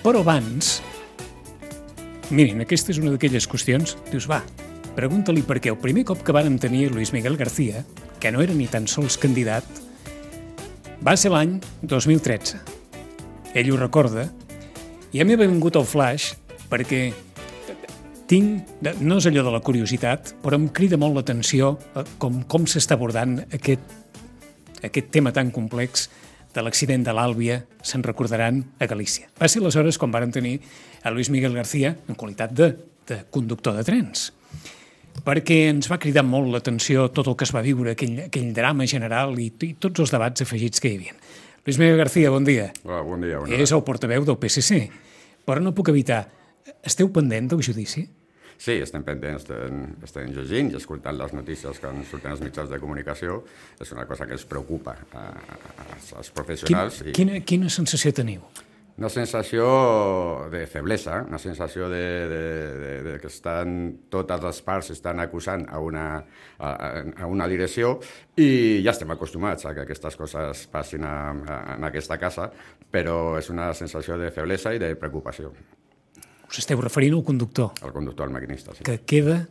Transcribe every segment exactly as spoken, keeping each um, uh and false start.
Però abans, mirin, aquesta és una d'aquelles qüestions, dius, va, pregunta-li per què el primer cop que vàrem tenir Luis Miguel García, que no era ni tan sols candidat, va ser l'any dos mil tretze. Ell ho recorda, i a mi m'ha vingut el flash perquè tinc, no és allò de la curiositat, però em crida molt l'atenció com, com s'està abordant aquest, aquest tema tan complex de l'accident de l'Àlvia, se'n recordaran, a Galícia. Va ser aleshores quan vàrem tenir a Luis Miguel García en qualitat de, de conductor de trens, perquè ens va cridar molt l'atenció tot el que es va viure, aquell, aquell drama general i, i tots els debats afegits que hi havia. Luis Miguel García, bon dia. Hola, bon dia. Bon dia. És el portaveu del P S C, però no puc evitar. Esteu pendent del judici? Sí, estem pendents, estem, estem llegint i escoltant les notícies que surten als mitjans de comunicació. És una cosa que ens preocupa a, a, als professionals. Quin, i... quina, quina sensació teniu? Una sensació de feblesa, una sensació de, de, de, de que estan, totes les parts estan acusant a una, a, a una direcció i ja estem acostumats a que aquestes coses passin a, a, en aquesta casa, però és una sensació de feblesa i de preocupació. Us esteu referint al conductor? Al conductor, al maquinista, sí. Que queda...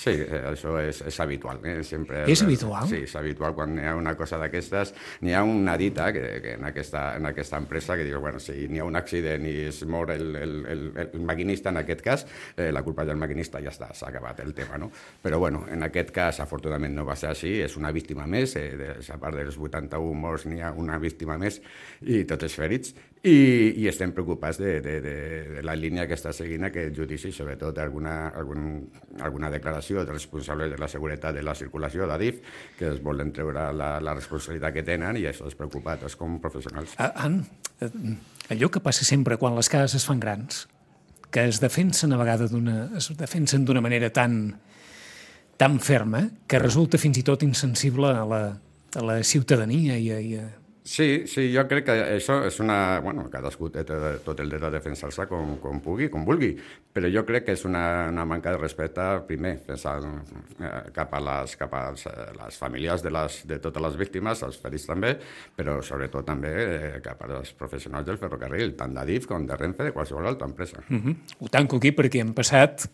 Sí, això és, és habitual. Eh? Sempre, és habitual? Sí, és habitual. Quan hi ha una cosa d'aquestes, n'hi ha una dita que, que en, aquesta, en aquesta empresa que diu, bueno, si n'hi ha un accident i es mor el, el, el, el maquinista, en aquest cas, eh, la culpa del maquinista ja està, s'ha acabat el tema, no? Però, bueno, en aquest cas, afortunadament no va ser així, és una víctima més, eh, de, a part dels vuitanta-un morts n'hi ha una víctima més i tots els ferits, i, i estem preocupats de, de, de, de la línia que està seguint aquest judici, sobretot alguna, algun, alguna declaració dels responsables de la seguretat de la circulació d'Adif, que es volen treure la, la responsabilitat que tenen i això és preocupat, és com professionals. An, allò que passa sempre quan les cases es fan grans, que es defensen a vegades d'una, es defensen d'una manera tan, tan ferma que resulta fins i tot insensible a la, a la ciutadania i a, i a... Sí, sí, jo crec que això és una... Bueno, cadascú té tot el dret a defensar-se com, com pugui, com vulgui, però jo crec que és una, una manca de respecte, primer, pensant eh, cap a les, cap a les, les famílies de, les, de totes les víctimes, els ferits també, però sobretot també eh, cap als professionals del ferrocarril, tant d'Adif com de Renfe, de qualsevol altra empresa. Uh-huh. Ho tanco aquí perquè hem passat...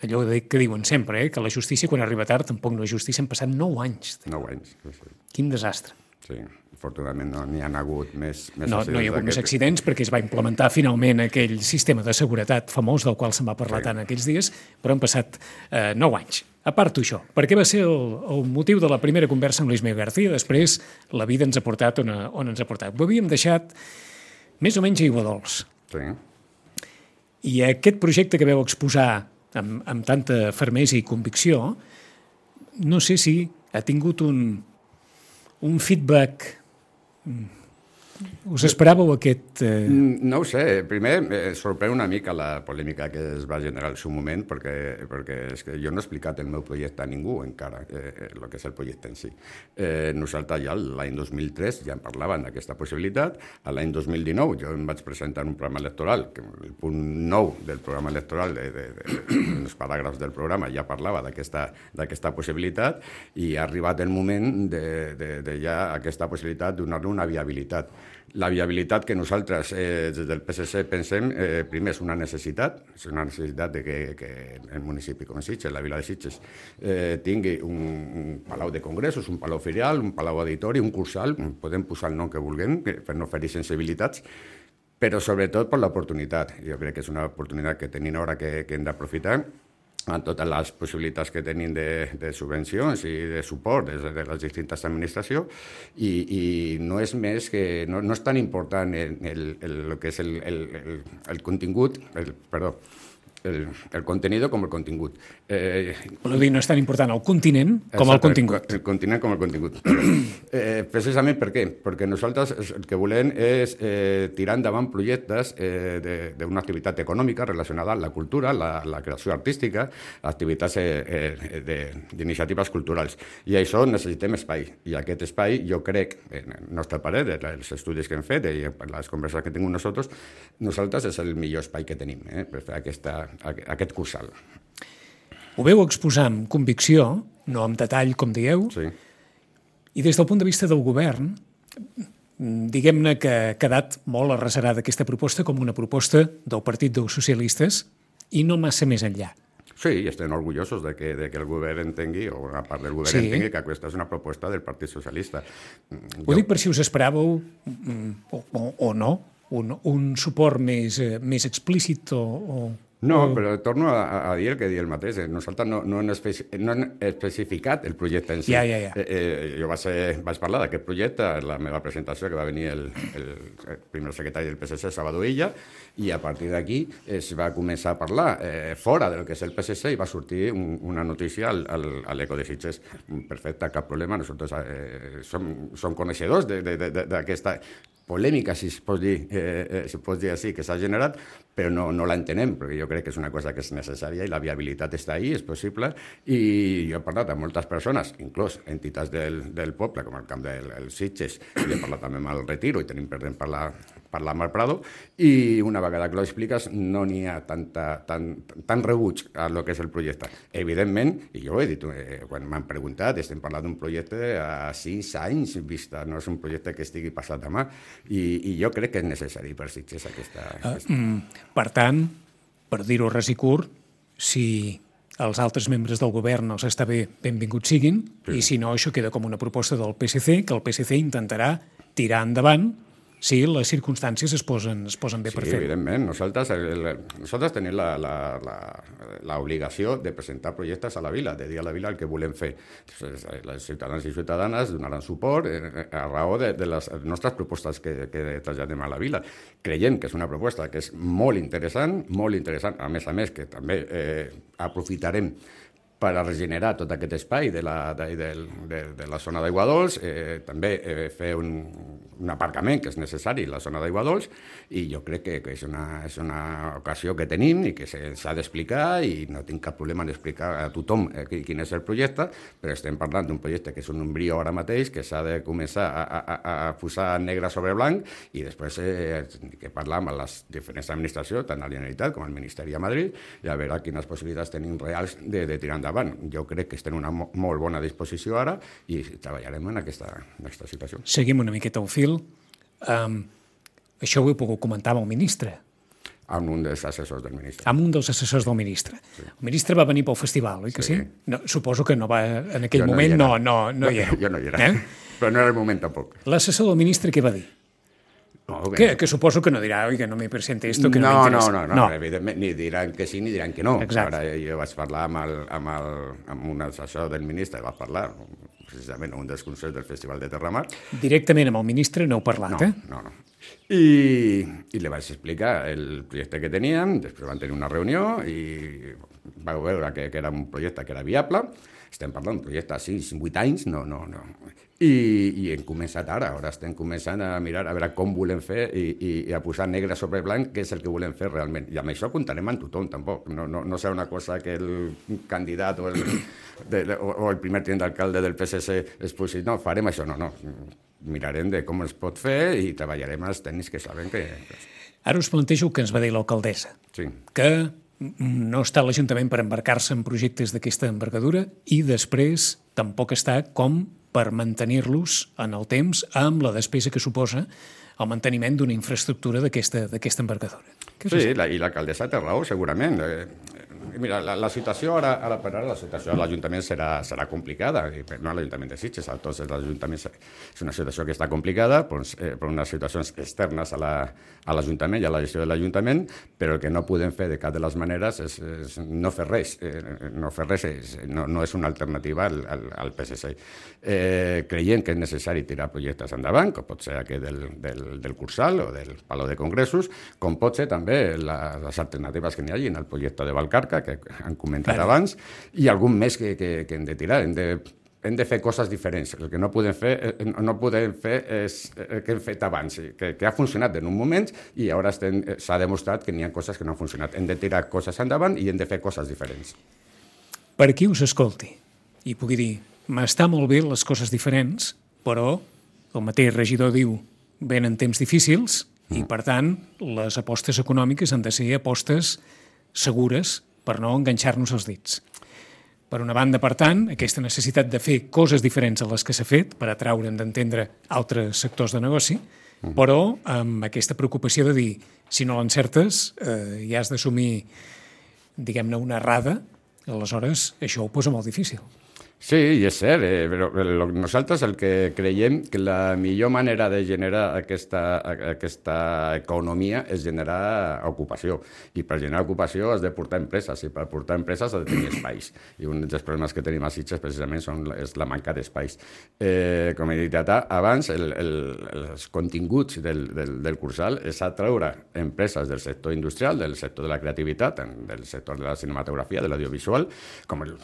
allò que diuen sempre, eh, que la justícia quan arriba tard tampoc no és justícia, han passat nou anys. Nou anys, sí, sí. Quin desastre. Sí, afortunadament no n'hi ha hagut més, més no, accidents. No hi ha hagut més accidents perquè es va implementar finalment aquell sistema de seguretat famós del qual se'n va parlar sí. tant aquells dies, però han passat eh, nou anys. A part d'això, per què va ser el, el motiu de la primera conversa amb Luis Miguel García? Després la vida ens ha portat on, on ens ha portat. Ho havíem deixat més o menys aigua dolç. Sí. I aquest projecte que veu exposar amb, amb tanta fermesa i convicció, no sé si ha tingut un... un feedback. Us esperàveu aquest... Eh... No ho sé. Primer, eh, sorprèn una mica la polèmica que es va generar al seu moment, perquè, perquè és que jo no he explicat el meu projecte a ningú encara, eh, el que és el projecte en si. Eh, nosaltres ja l'any dos mil tres ja en parlaven d'aquesta possibilitat. A l'any dos mil dinou jo em vaig presentar un programa electoral, que el punt nou del programa electoral, de, de, de, de, dels paràgrafs del programa, ja parlava d'aquesta d'aquesta possibilitat i ha arribat el moment de, de, de ja aquesta possibilitat donar-li una viabilitat. La viabilitat que nosaltres eh, des del P S C pensem, eh, primer és una necessitat, és una necessitat de que, que el municipi com Sitges, la vila de Sitges, eh, tingui un, un palau de congressos, un palau ferial, un palau auditori, un cursal, podem posar el nom que vulguem per no ferir sensibilitats, però sobretot per l'oportunitat. Jo crec que és una oportunitat que tenim ara que, que hem d'aprofitar, amb totes les possibilitats que tenim de, de subvencions i de suport des de les distintes administracions i, i no és més que, no, no és tan important el, el, el, el que és el, el, el, el contingut, el, perdó, el, el contenido com el contingut. Eh, Voleu dir, no és tan important el continent com el contingut. El, el continent com el contingut. eh, precisament per què? Perquè nosaltres el que volem és eh, tirar endavant projectes eh, d'una activitat econòmica relacionada amb la cultura, la, la creació artística, activitats eh, eh, d'iniciatives culturals. I això necessitem espai. I aquest espai, jo crec, en el nostre parer, els estudis que hem fet i les converses que hem tingut nosaltres, nosaltres és el millor espai que tenim eh, per fer aquesta aquest cursal. Ho veu exposar amb convicció, no amb detall, com dieu, sí. I des del punt de vista del govern, diguem-ne que ha quedat molt arrecerada aquesta proposta com una proposta del Partit dels Socialistes i no massa més enllà. Sí, i estem orgullosos de que, de que el govern entengui, o una part del govern sí. entengui, que aquesta és una proposta del Partit Socialista. Ho jo... dic per si us esperàveu, o, o, o no, un, un suport més, més explícit o... o... No, però torno a, a dir el que diu el mateix. Nosaltres no, no, hem especi no hem especificat el projecte en si. Ja, ja, ja. Eh, eh, jo vaig, ser, vaig parlar d'aquest projecte en la meva presentació, que va venir el, el, el primer secretari del P S C, Salvador Illa, i a partir d'aquí es va començar a parlar eh, fora del que és el P S C i va sortir un, una notícia al, al, a l'Eco de Sitges. Perfecte, cap problema. Nosaltres eh, som, som coneixedors d'aquesta polèmica, si es pot dir, eh, eh, si pot dir així, que s'ha generat, però no, no l'entenem, perquè jo crec que és una cosa que és necessària i la viabilitat està ahí, és possible, i jo he parlat amb moltes persones, inclús entitats del, del poble, com el camp del Sitges, i he parlat també amb el Retiro, i tenim pendent parlar, parlar amb el Prado, i una vegada que ho expliques no n'hi ha tanta, tan, tan rebuig a lo que és el projecte. Evidentment, i jo ho he dit, eh, quan m'han preguntat, estem parlant d'un projecte a sis anys vista, no és un projecte que estigui passat demà, i, i jo crec que és necessari per Sitges aquesta... aquesta... Uh, mm, per tant, per dir-ho res i curt, si els altres membres del govern els està bé, benvinguts siguin, sí. I si no, això queda com una proposta del P S C, que el P S C intentarà tirar endavant si les circumstàncies es posen, es posen bé sí, per fer-ho. Sí, evidentment. Nosaltres, el, nosaltres tenim l'obligació de presentar projectes a la vila, de dir a la vila el que volem fer. Les ciutadans i ciutadanes donaran suport a raó de, de les nostres propostes que, que traslladem a la vila. Creiem que és una proposta que és molt interessant, molt interessant, a més a més que també eh, aprofitarem per a regenerar tot aquest espai de la, de, de, de, de la zona d'Aigua Dols, eh, també eh, fer un, un aparcament que és necessari a la zona d'Aigua Dols, i jo crec que, que és, una, és una ocasió que tenim i que s'ha d'explicar, i no tinc cap problema en explicar a tothom eh, quin és el projecte, però estem parlant d'un projecte que és un embrió ara mateix, que s'ha de començar a, a, a posar negre sobre blanc, i després eh, que parlar amb les diferents administracions, tant a la Generalitat com al Ministeri a Madrid, i a veure quines possibilitats tenim reals de, de tirar endavant. Jo crec que estem en una mo molt bona disposició ara i treballarem en aquesta, en aquesta situació. Seguim una miqueta el fil. Um, això ho he pogut comentar amb el ministre. Amb un dels assessors del ministre. Amb un dels assessors del ministre. Sí. El ministre va venir pel festival, oi que sí? sí? No, suposo que no va, en aquell jo moment no, no, no, no hi era. Jo no hi era, eh? Però no era el moment tampoc. L'assessor del ministre què va dir? No, que, que suposo que no dirà, oi, que no me presente esto, que no, no me interessa. No, no, no, no, evidentment, ni diran que sí ni diran que no. Exacte. Ara jo vaig parlar amb, el, amb, el, amb un assessor del ministre, vaig parlar precisament un dels consells del Festival de Terramar. Directament amb el ministre no heu parlat, no, eh? No, no. I, i li vaig explicar el projecte que teníem, després van tenir una reunió i vau veure que, que era un projecte que era viable. Estem parlant d'un projecte a sis, vuit anys, no, no, no. I, i hem començat ara, ara estem començant a mirar a veure com volem fer i, i, i a posar negre sobre blanc què és el que volem fer realment. I amb això comptarem amb tothom, tampoc. No, no, no serà una cosa que el candidat o el, de, o, o el primer tinent d'alcalde del P S C es posi, no, farem això, no, no. Mirarem de com es pot fer i treballarem els tècnics que saben que... Ara us plantejo que ens va dir l'alcaldessa, sí. que no està l'Ajuntament per embarcar-se en projectes d'aquesta envergadura i després tampoc està com per mantenir-los en el temps amb la despesa que suposa el manteniment d'una infraestructura d'aquesta envergadura. Sí, la, i l'alcaldessa té raó, segurament. Eh, mira, la, la situació ara, ara per ara, la situació a l'Ajuntament serà, serà complicada, i no a l'Ajuntament de Sitges, a tots els ajuntaments és una situació que està complicada doncs, eh, per unes situacions externes a l'Ajuntament la, i a la gestió de l'Ajuntament, però el que no podem fer de cap de les maneres és, és no fer res. Eh, no fer res és, no, no és una alternativa al, al, al P S C. Eh, creiem que és necessari tirar projectes endavant, com pot ser aquest del, del, del Cursal o del Palau de Congressos, com pot ser també la, les alternatives que n'hi hagi en el projecte de Valcarca, que han comentat vale. abans, i algun més que, que, que hem de tirar. Hem de, hem de fer coses diferents. El que no podem fer, no podem fer és el que hem fet abans, que, que ha funcionat en un moment i ara s'ha demostrat que n'hi ha coses que no han funcionat. Hem de tirar coses endavant i hem de fer coses diferents. Per qui us escolti i pugui dir, m'està molt bé les coses diferents, però el mateix regidor diu, venen temps difícils i, per tant, les apostes econòmiques han de ser apostes segures per no enganxar-nos els dits. Per una banda, per tant, aquesta necessitat de fer coses diferents a les que s'ha fet per atraure'n d'entendre altres sectors de negoci, mm. però amb aquesta preocupació de dir, si no l'encertes, eh, ja has d'assumir, diguem-ne, una errada, aleshores això ho posa molt difícil. Sí, i és cert, eh, però nosaltres el que creiem que la millor manera de generar aquesta, aquesta economia és generar ocupació. I per generar ocupació has de portar empreses, i per portar empreses has de tenir espais. I un dels problemes que tenim a Sitges precisament són, és la manca d'espais. Eh, com he dit abans, el, el, els continguts del, del, del Cursal és atraure empreses del sector industrial, del sector de la creativitat, del sector de la cinematografia, de l'audiovisual, com el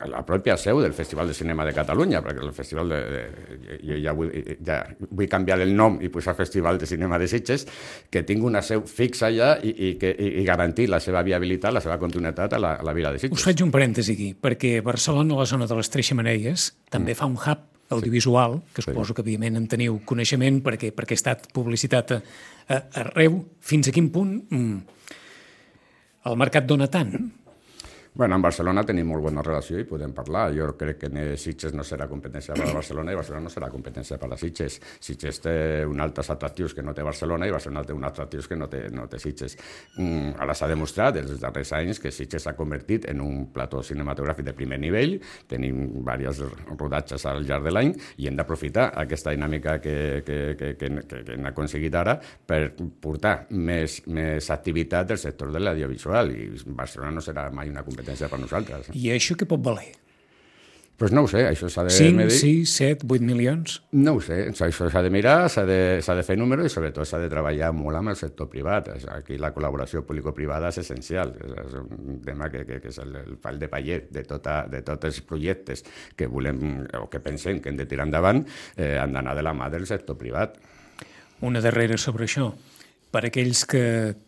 la pròpia seu del Festival de Cinema de Catalunya, perquè el Festival de... de jo ja vull, ja vull canviar el nom i posar Festival de Cinema de Sitges, que tingui una seu fixa allà i, i, que, i garantir la seva viabilitat, la seva continuïtat a la, a la vila de Sitges. Us faig un parèntesi aquí, perquè Barcelona, a la zona de les Tres Xemeneies, també mm. fa un hub audiovisual, que suposo que evidentment en teniu coneixement perquè, perquè ha estat publicitat a, a, arreu. Fins a quin punt mm, el mercat dona tant? Bueno, en Barcelona tenim molt bona relació i podem parlar. Jo crec que Sitges no serà competència per a Barcelona i Barcelona no serà competència per a Sitges. Sitges té uns altres atractius que no té Barcelona i Barcelona té uns atractius que no té, no té Sitges. Mm, ara s'ha demostrat els darrers anys que Sitges s'ha convertit en un plató cinematogràfic de primer nivell. Tenim diversos rodatges al llarg de l'any i hem d'aprofitar aquesta dinàmica que, que, que, que, que, que hem aconseguit ara per portar més, més activitat del sector de l'audiovisual i Barcelona no serà mai una competència per nosaltres. I això què pot valer? Doncs pues no ho sé, això s'ha de cinc, medir. sis, set, vuit milions? No ho sé, això s'ha de mirar, s'ha de, s'ha de fer números i sobretot s'ha de treballar molt amb el sector privat. Aquí la col·laboració público-privada és essencial, és un tema que, que, que és el, el pal de paller de, tota, de tots els projectes que volem o que pensem que hem de tirar endavant, eh, han d'anar de la mà del sector privat. Una darrera sobre això. Per aquells que,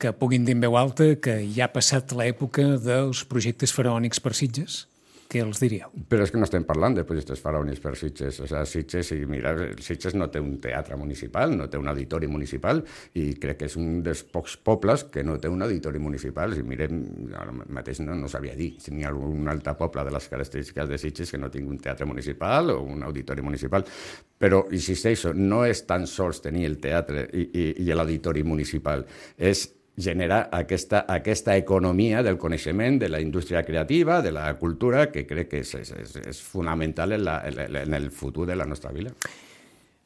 que puguin dir en veu alta que ja ha passat l'època dels projectes faraònics per Sitges, què els diríeu? Però és que no estem parlant de projectes faraònics per Sitges. O sigui, Sitges, i mira, Sitges no té un teatre municipal, no té un auditori municipal i crec que és un dels pocs pobles que no té un auditori municipal. Si mirem, ara mateix no, no sabia dir si n'hi ha algun altre poble de les característiques de Sitges que no tingui un teatre municipal o un auditori municipal. Però, insisteixo, no és tan sols tenir el teatre i, i, i l'auditori municipal, és generar aquesta, aquesta economia del coneixement, de la indústria creativa, de la cultura, que crec que és, és, és fonamental en, la, en el futur de la nostra vila.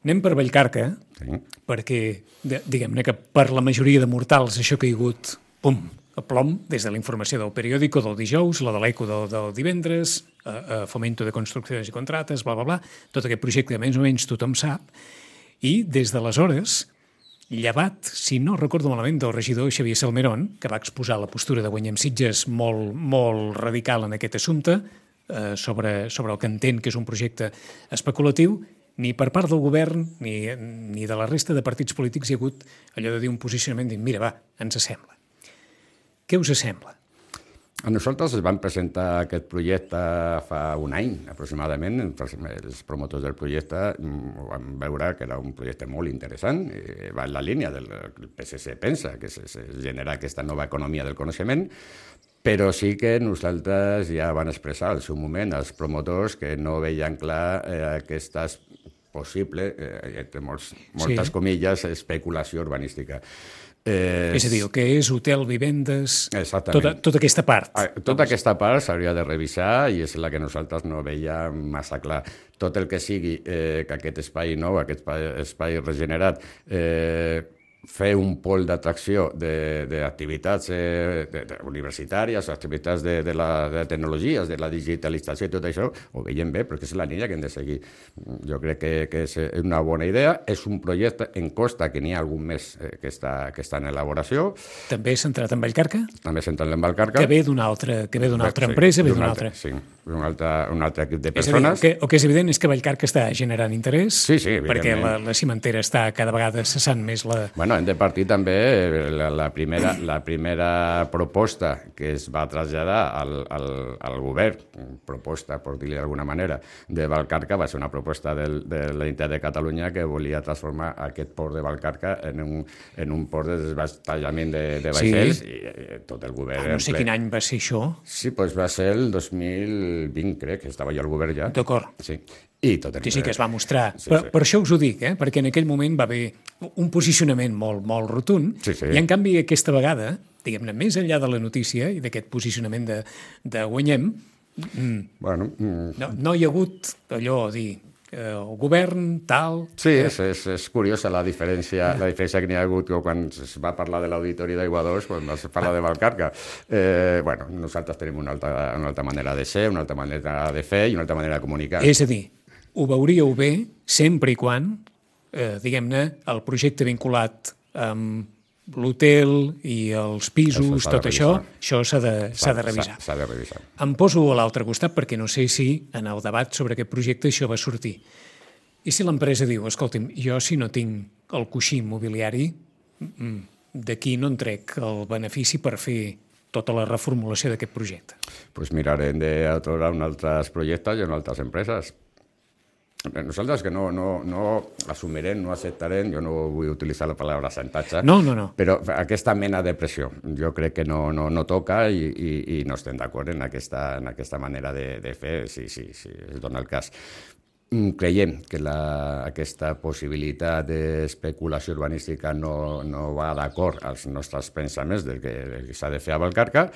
Anem per Vallcarca, sí. Perquè diguem-ne que per la majoria de mortals això ha caigut, pum, a plom, des de la informació del periòdico del dijous, la de l'Eco del, del divendres, a, a Fomento de Construccions i Contrates, bla, bla, bla, tot aquest projecte que més o menys tothom sap, i des d'aleshores, llevat, si no recordo malament, del regidor Xavier Salmerón, que va exposar la postura de Guanyem Sitges molt, molt radical en aquest assumpte, eh, sobre, sobre el que entén que és un projecte especulatiu, ni per part del govern ni, ni de la resta de partits polítics hi ha hagut allò de dir un posicionament dir, mira, va, ens sembla. Què us sembla? A nosaltres es van presentar aquest projecte fa un any, aproximadament. Els promotors del projecte van veure que era un projecte molt interessant, va en la línia del que el P S C pensa, que és generar aquesta nova economia del coneixement, però sí que nosaltres ja van expressar al seu moment els promotors que no veien clar eh, aquesta possible, eh, entre molts, moltes sí. comilles, especulació urbanística. Eh, és a dir, el que és hotel, vivendes, tota, tota aquesta part. Tota aquesta part s'hauria de revisar i és la que nosaltres no veiem massa clar. Tot el que sigui eh, que aquest espai nou, aquest espai, espai regenerat, eh, fer un pol d'atracció d'activitats eh, de, de universitàries, activitats de, de, la, de tecnologies, de la digitalització i tot això, ho veiem bé, perquè és la línia que hem de seguir. Jo crec que, que és una bona idea. És un projecte en costa, que n'hi ha algun més eh, que, està, que està en elaboració. També centrat en Vallcarca? També centrat en Vallcarca. Que ve d'una altra, que ve d'una altra sí, empresa, ve d'una altra. Sí, un altre, un altre equip de És persones. a dir, que, el que és evident és que Vallcarca està generant interès, sí, sí, perquè la, la cimentera està cada vegada cessant més la... Bueno, hem de partir també la, la, primera, la primera proposta que es va traslladar al, al, al govern, proposta, per dir-li d'alguna manera, de Vallcarca, va ser una proposta del, de la Generalitat de Catalunya que volia transformar aquest port de Vallcarca en un, en un port de desballestament de, de vaixells, sí. i, i tot el govern... Ah, no sé quin any va ser això. Sí, doncs va ser el dos mil mil vint, crec, que estava jo al govern ja. D'acord. Sí. I tot Sí, sí, que es va mostrar. Sí, per, sí. per això us ho dic, eh? Perquè en aquell moment va haver un posicionament molt, molt rotund, Sí, sí. i en canvi aquesta vegada, diguem-ne, més enllà de la notícia i d'aquest posicionament de, de guanyem, mm, Bueno, mm, no, no hi ha hagut allò a dir eh, el govern, tal... sí, és, és, és curiosa la diferència, la diferència que n'hi ha hagut quan es va parlar de l'auditori d'Aigua dos, quan es parla de Vallcarca. Eh, bueno, nosaltres tenim una altra, una altra manera de ser, una altra manera de fer i una altra manera de comunicar. És a dir, ho veuríeu bé sempre i quan, eh, diguem-ne, el projecte vinculat amb l'hotel i els pisos, Això s'ha de tot això, revisar. això s'ha de, s'ha de revisar. S'ha de revisar. Em poso a l'altre costat perquè no sé si en el debat sobre aquest projecte això va sortir. I si l'empresa diu, escolti'm, jo si no tinc el coixí immobiliari, mm, d'aquí no en trec el benefici per fer tota la reformulació d'aquest projecte. Pues mirarem d'atorar en altres projectes i en altres empreses. Nosaltres que no, no, no assumirem, no acceptarem, jo no vull utilitzar la paraula xantatge, No, no, no. però aquesta mena de pressió jo crec que no, no, no toca i, i, i no estem d'acord en aquesta, en aquesta manera de, de fer, si sí, sí, sí, es dona el cas. Creiem que la, aquesta possibilitat d'especulació urbanística no, no va d'acord als nostres pensaments del que, del que s'ha de fer a Vallcarca,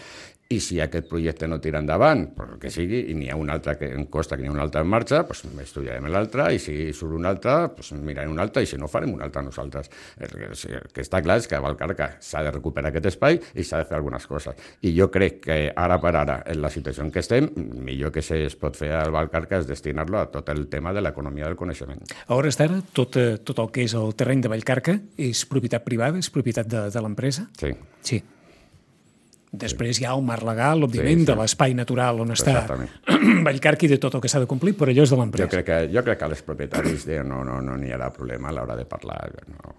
i si aquest projecte no tira endavant, per el que sigui, i n'hi ha un altre que em costa que n'hi ha un altre en marxa, doncs estudiarem l'altre, i si surt un altre, doncs mirarem un altre, i si no, farem un altre nosaltres. El que, el que està clar és que a Vallcarca s'ha de recuperar aquest espai i s'ha de fer algunes coses. I jo crec que ara per ara, en la situació en què estem, millor que es pot fer al Vallcarca és destinar-lo a tot el tema de l'economia del coneixement. A hores d'ara, tot, eh, tot el que és el terreny de Vallcarca és propietat privada, és propietat de, de l'empresa? Sí. Sí. Després hi ha el marc legal, òbviament, Sí, sí. de l'espai natural on està Exactament. Vallcarca i de tot el que s'ha de complir, però allò és de Jo l'empresa. crec que, jo crec que als propietaris de, no n'hi no, no hi haurà problema a l'hora de parlar. No.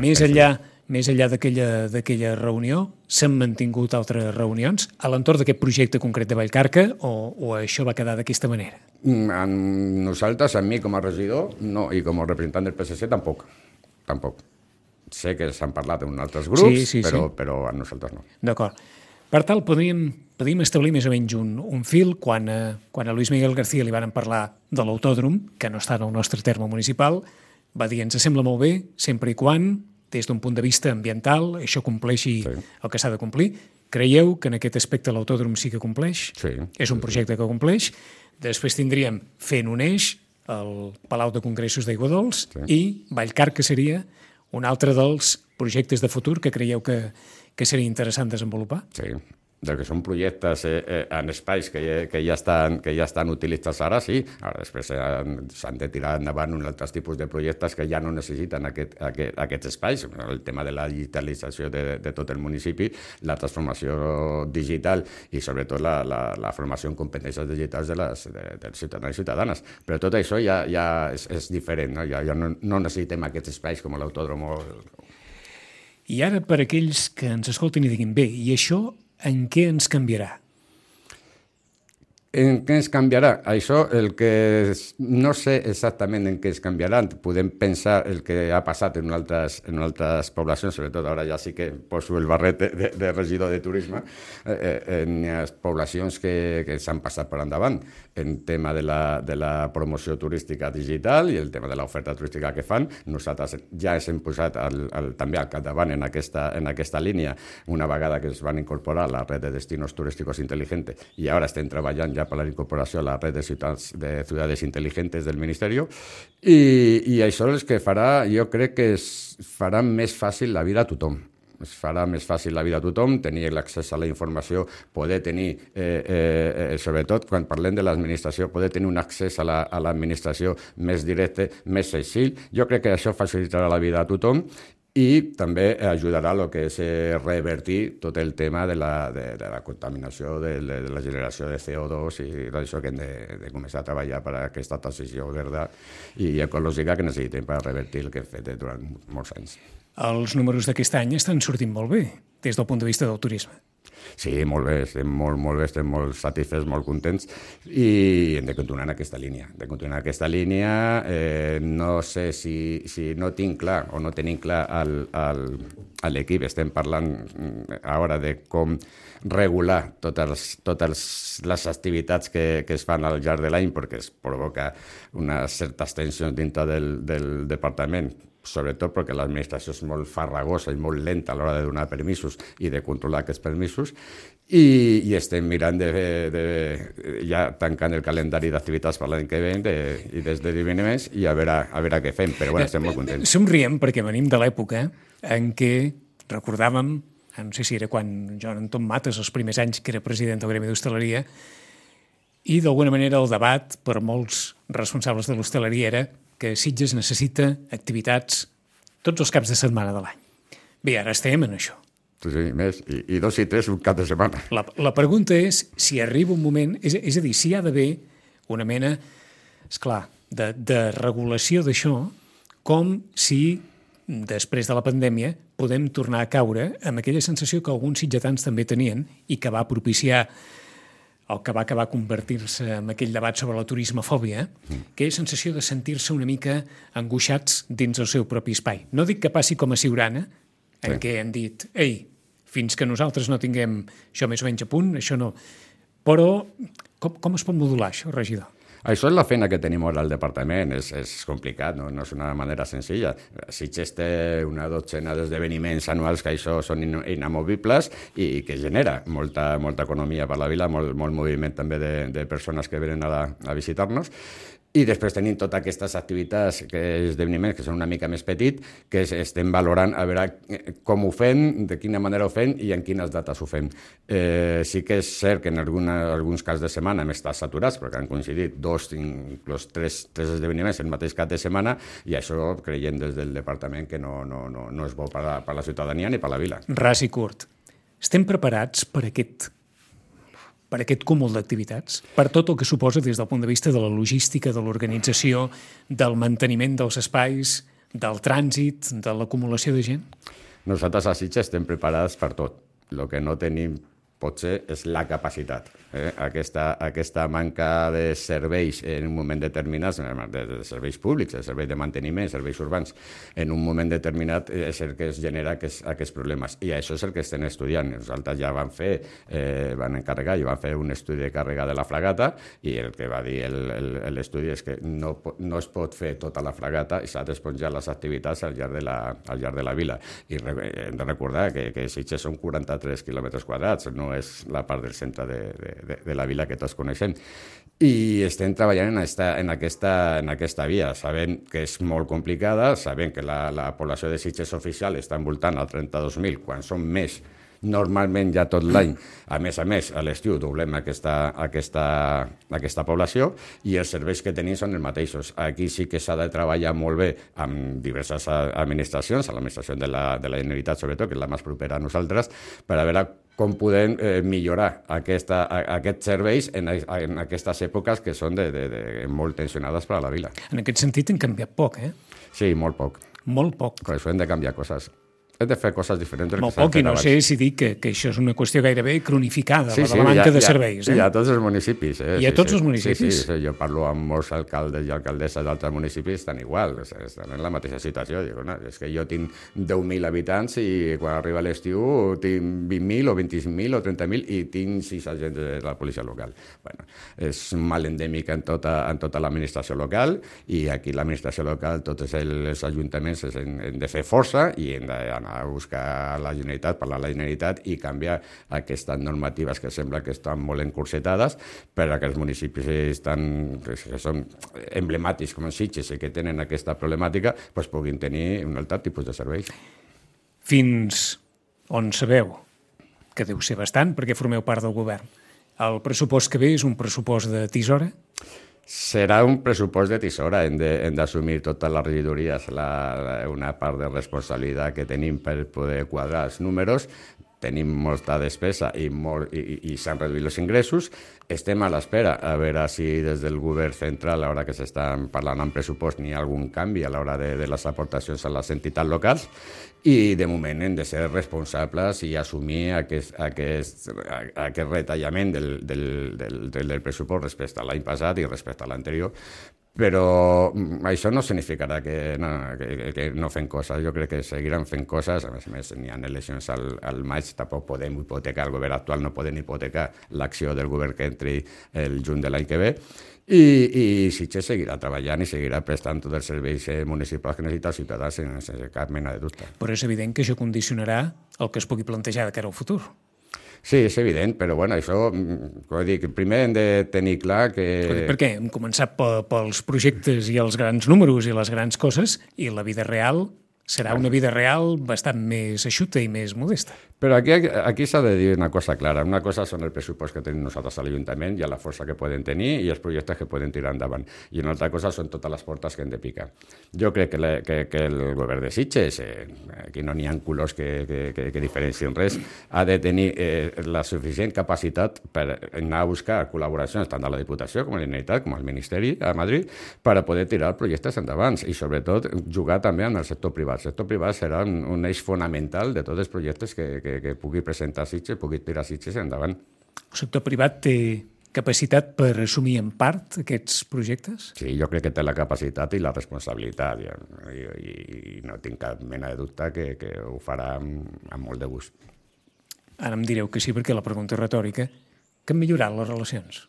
Més enllà, més enllà d'aquella d'aquella reunió, s'han mantingut altres reunions a l'entorn d'aquest projecte concret de Vallcarca o, o això va quedar d'aquesta manera? Amb nosaltres, amb mi com a regidor, no, i com a representant del P S C, tampoc. Tampoc. Sé que s'han parlat en altres grups, Sí, sí, però, sí. però a nosaltres no. D'acord. Per tal, podríem, podríem establir més o menys un, un fil quan, eh, quan a Luis Miguel García li van parlar de l'autòdrom, que no està en el nostre terme municipal, va dir, ens sembla molt bé, sempre i quan, des d'un punt de vista ambiental, això compleixi Sí. el que s'ha de complir. Creieu que en aquest aspecte l'autòdrom sí que compleix? Sí. És un projecte que compleix. Després tindríem fent un eix, el Palau de Congressos d'Aigua Dols, Sí. i Vallcarca seria un altre dels projectes de futur que creieu que, que seria interessant desenvolupar? Sí. Del que són projectes eh, eh, en espais que, ja- que, ja estan, que ja estan utilitzats ara, sí. Ara després eh, s'han de tirar endavant uns altres tipus de projectes que ja no necessiten aquest, aquest, aquests espais. El tema de la digitalització de, de tot el municipi, la transformació digital i sobretot la, la, la formació en competències digitals de les, de, dels ciutadans i ciutadanes. Però tot això ja, ja és, és diferent, no? Ja, ja no, no necessitem aquests espais com l'autòdrom o... I ara, per aquells que ens escoltin i diguin, bé, i això en què ens canviarà? En què ens canviarà? Això, el que és, no sé exactament en què ens canviarà. Podem pensar el que ha passat en altres, en altres poblacions, sobretot ara ja sí que poso el barret de, de, de regidor de turisme, eh, en les poblacions que, que s'han passat per endavant en tema de la, de la promoció turística digital i el tema de l'oferta turística que fan. Nosaltres ja ens hem posat al, al, també al capdavant en aquesta, en aquesta línia una vegada que es van incorporar a la red de destinos turísticos inteligentes i ara estem treballant ja per la incorporació a la red de ciutats de ciudades inteligentes del Ministerio i, i això és que farà, jo crec que es farà més fàcil la vida a tothom. Es farà més fàcil la vida a tothom, tenir l'accés a la informació, poder tenir, eh, eh, sobretot quan parlem de l'administració, poder tenir un accés a la, a l'administració més directe, més senzill. Jo crec que això facilitarà la vida a tothom i també ajudarà a lo que és eh, revertir tot el tema de la, de, de la contaminació, de, de la generació de C O dos i d'això que hem de, de començar a treballar per a aquesta transició verda i ecològica que necessitem per revertir el que hem fet durant molts anys. Els números d'aquest any estan sortint molt bé, des del punt de vista del turisme. Sí, molt bé, estem molt, molt bé, estem molt satisfets, molt contents i hem de continuar en aquesta línia. De continuar en aquesta línia, eh, no sé si, si no tinc clar o no tenim clar el, el, a l'equip estem parlant ara de com regular totes, totes les activitats que, que es fan al llarg de l'any, perquè es provoca unes certes tensions dintre del, del departament, sobretot perquè l'administració és molt farragosa i molt lenta a l'hora de donar permisos i de controlar aquests permisos, i, i estem mirant de, de, ja tancant el calendari d'activitats per l'any que ve de, i des de divinament i a veure, a veure què fem, però bueno, estem molt contents. Somriem perquè venim de l'època en què recordàvem, no sé si era quan Joan Anton Mates, els primers anys que era president del Gremi d'Hostaleria, i d'alguna manera el debat per molts responsables de l'hostaleria era que Sitges necessita activitats tots els caps de setmana de l'any. Bé, ara estem en això. Sí, sí, més, i, i dos i tres un cap de setmana. La, la pregunta és si arriba un moment, és, és a dir, si hi ha d'haver una mena, esclar, de, de regulació d'això, com si després de la pandèmia podem tornar a caure amb aquella sensació que alguns sitgetans també tenien i que va propiciar el que va acabar convertir-se en aquell debat sobre la turismofòbia, que és sensació de sentir-se una mica angoixats dins el seu propi espai. No dic que passi com a Siurana, en sí. què han dit, ei, fins que nosaltres no tinguem això més o menys a punt, això no. Però com, com es pot modular això, regidor? Això és la feina que tenim ara al departament, és, és complicat, no? No és una manera senzilla. Sitges té una dotzena d'esdeveniments anuals que això són inamovibles i que genera molta, molta economia per la vila, molt, molt moviment també de, de persones que venen a, la, a visitar-nos. I després tenim totes aquestes activitats, que esdeveniments que són una mica més petit, que estem valorant a veure com ho fem, de quina manera ho fem i en quines dates ho fem. Eh, sí que és cert que en alguna, alguns caps de setmana hem estat saturats, perquè han coincidit dos, inclús tres, tres esdeveniments el mateix cap de setmana, i això creiem des del departament que no, no, no, no és bo per a, per a la ciutadania ni per a la vila. Ras i curt. Estem preparats per aquest per aquest cúmul d'activitats, per tot el que suposa des del punt de vista de la logística, de l'organització, del manteniment dels espais, del trànsit, de l'acumulació de gent? Nosaltres a Sitges estem preparats per tot. El que no tenim potser és la capacitat. Eh? Aquesta, aquesta manca de serveis en un moment determinat, de, de serveis públics, de serveis de manteniment, serveis urbans, en un moment determinat és el que es genera aquests, aquests problemes. I això és el que estem estudiant. Nosaltres ja van fer, eh, van encarregar i van fer un estudi de càrrega de la fragata, i el que va dir l'estudi és que no, no es pot fer tota la fragata i s'ha d'esponjar les activitats al llarg de la, al llarg de la vila. I hem de recordar que, que Sitges són quaranta-tres quilòmetres quadrats, no és la part del centre de, de, de la vila que tots coneixem. I estem treballant en, esta, en, aquesta, en aquesta via, sabent que és molt complicada, sabent que la, la població de Sitges oficial està envoltant al trenta-dos mil, quan són més normalment ja tot l'any. A més a més, a l'estiu doblem aquesta, aquesta, aquesta població i els serveis que tenim són els mateixos. Aquí sí que s'ha de treballar molt bé amb diverses administracions, a l'administració de la, de la Generalitat sobretot, que és la més propera a nosaltres, per a veure com podem eh, millorar aquesta, a, aquests serveis en, en aquestes èpoques que són de, de, de, molt tensionades per a la vila. En aquest sentit hem canviat poc, eh? Sí, molt poc. Molt poc. Per això hem de canviar coses. Hem de fer coses diferents. Molt poc, i no sé si dic que, que això és una qüestió gairebé cronificada, sí, la de sí, la manca ja, de ja, serveis. Eh? I a tots els municipis. Eh? I a sí, tots sí. els municipis? Sí, sí, sí, jo parlo amb molts alcaldes i alcaldesses d'altres municipis, estan igual, estan en la mateixa situació. Dic, no, és que jo tinc deu mil habitants i quan arriba l'estiu tinc vint mil o vint-i-cinc mil o trenta mil i tinc sis agents de la policia local. Bueno, és un mal endèmic en tota, en tota l'administració local, i aquí l'administració local, tots els ajuntaments hem de fer força i hem d'anar a buscar a la Generalitat, parlar a la Generalitat i canviar aquestes normatives que sembla que estan molt encursetades per a que els municipis estan, que són emblemàtics com els Sitges i que tenen aquesta problemàtica, doncs puguin tenir un altre tipus de serveis. Fins on sabeu, que deu ser bastant perquè formeu part del govern, el pressupost que ve és un pressupost de tisora? Serà un pressupost de tisora, hem d'assumir totes les regidories la, la, una part de responsabilitat que tenim per poder quadrar els números. Tenim molta despesa i, molt, i, i s'han reduït els ingressos. Estem a l'espera a veure si des del govern central, a l'hora que s'estan parlant en pressupost, n'hi ha algun canvi a l'hora de, de les aportacions a les entitats locals, i de moment hem de ser responsables i assumir aquest, aquest, aquest retallament del, del, del, del pressupost respecte a l'any passat i respecte a l'anterior, però això no significarà que no, que, que no fem coses. Jo crec que seguiran fent coses. A més a més, n'hi ha eleccions al, al maig, tampoc podem hipotecar, el govern actual no podem hipotecar l'acció del govern que entri el juny de l'any que ve. I, i Sitges seguirà treballant i seguirà prestant tots els serveis municipals que necessita els ciutadans sense cap mena de dubte. Però és evident que això condicionarà el que es pugui plantejar de cara al futur. Sí, és evident, però bueno, això, com dic, primer hem de tenir clar que... Per què? Hem començat pels projectes i els grans números i les grans coses, i la vida real serà una vida real bastant més eixuta i més modesta. Però aquí, aquí s'ha de dir una cosa clara. Una cosa són el pressupost que tenim nosaltres a l'Ajuntament i la força que poden tenir i els projectes que poden tirar endavant. I una altra cosa són totes les portes que hem de picar. Jo crec que, le, que, que el govern de Sitges, eh, aquí no n'hi ha colors que, que, que, que diferencien res, ha de tenir eh, la suficient capacitat per anar a buscar col·laboracions tant de la Diputació com a la Generalitat, com al Ministeri a Madrid, per a poder tirar projectes endavant i sobretot jugar també amb el sector privat. El sector privat serà un, un eix fonamental de tots els projectes que, que, que pugui presentar Sitges, pugui tirar Sitges endavant. El sector privat té capacitat per assumir en part aquests projectes? Sí, jo crec que té la capacitat i la responsabilitat i, i, i no tinc cap mena de dubte que, que ho farà amb, amb molt de gust. Ara em direu que sí, perquè la pregunta és retòrica. Que han millorat les relacions?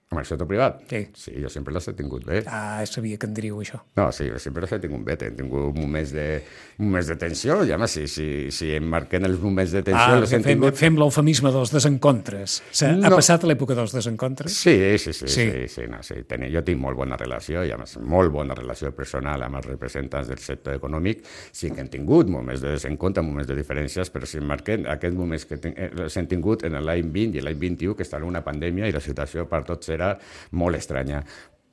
Amb el sector privat? Sí. Sí, jo sempre les he tingut bé. Ah, sabia que en diríeu això. No, sí, sempre les he tingut bé. He tingut moments de, moments de tensió, i home, si, si, si em marquen els moments de tensió... Ah, les fem, tingut... fem l'eufemisme dels desencontres. Ha no. passat l'època dels desencontres? Sí, sí, sí. sí. sí, sí, no, sí. Ten, jo tinc molt bona relació, i a més, molt bona relació personal amb els representants del sector econòmic. Sí que hem tingut moments de desencontre, moments de diferències, però si em marquen aquests moments que ten, els hem tingut en l'any vint i l'any vint-i-u, que està en una pandèmia i la situació per tots era molt estranya.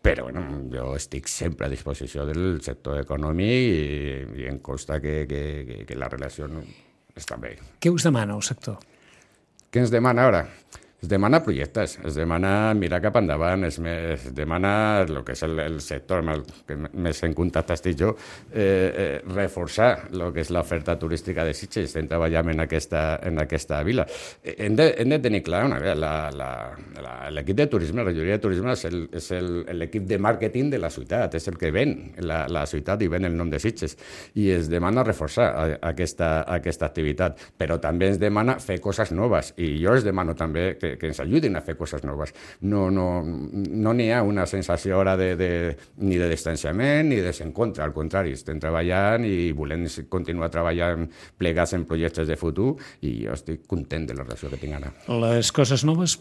Però bueno, jo estic sempre a disposició del sector econòmic i, i em consta que, que, que la relació està bé. Què us demana el sector? Què ens demana ara? Es demana projectes, es demana mirar cap endavant, es, es demana el que és el, el sector amb el que més en contacte estic jo, eh, eh, reforçar el que és l'oferta turística de Sitges. Estem treballant en aquesta, en aquesta vila. Hem de, hem de tenir clar, una vegada, l'equip de turisme, la regidoria de turisme és, el, és el, l'equip de màrqueting de la ciutat, és el que ven la, la ciutat i ven el nom de Sitges. I es demana reforçar aquesta, aquesta activitat, però també ens demana fer coses noves. I jo es demano també que que ens ajudin a fer coses noves. No n'hi no, no ha una sensació ara de, de, ni de distanciament ni de desencontre, al contrari, estem treballant i volem continuar treballant plegats en projectes de futur i jo estic content de la relació que tinc ara. Les coses noves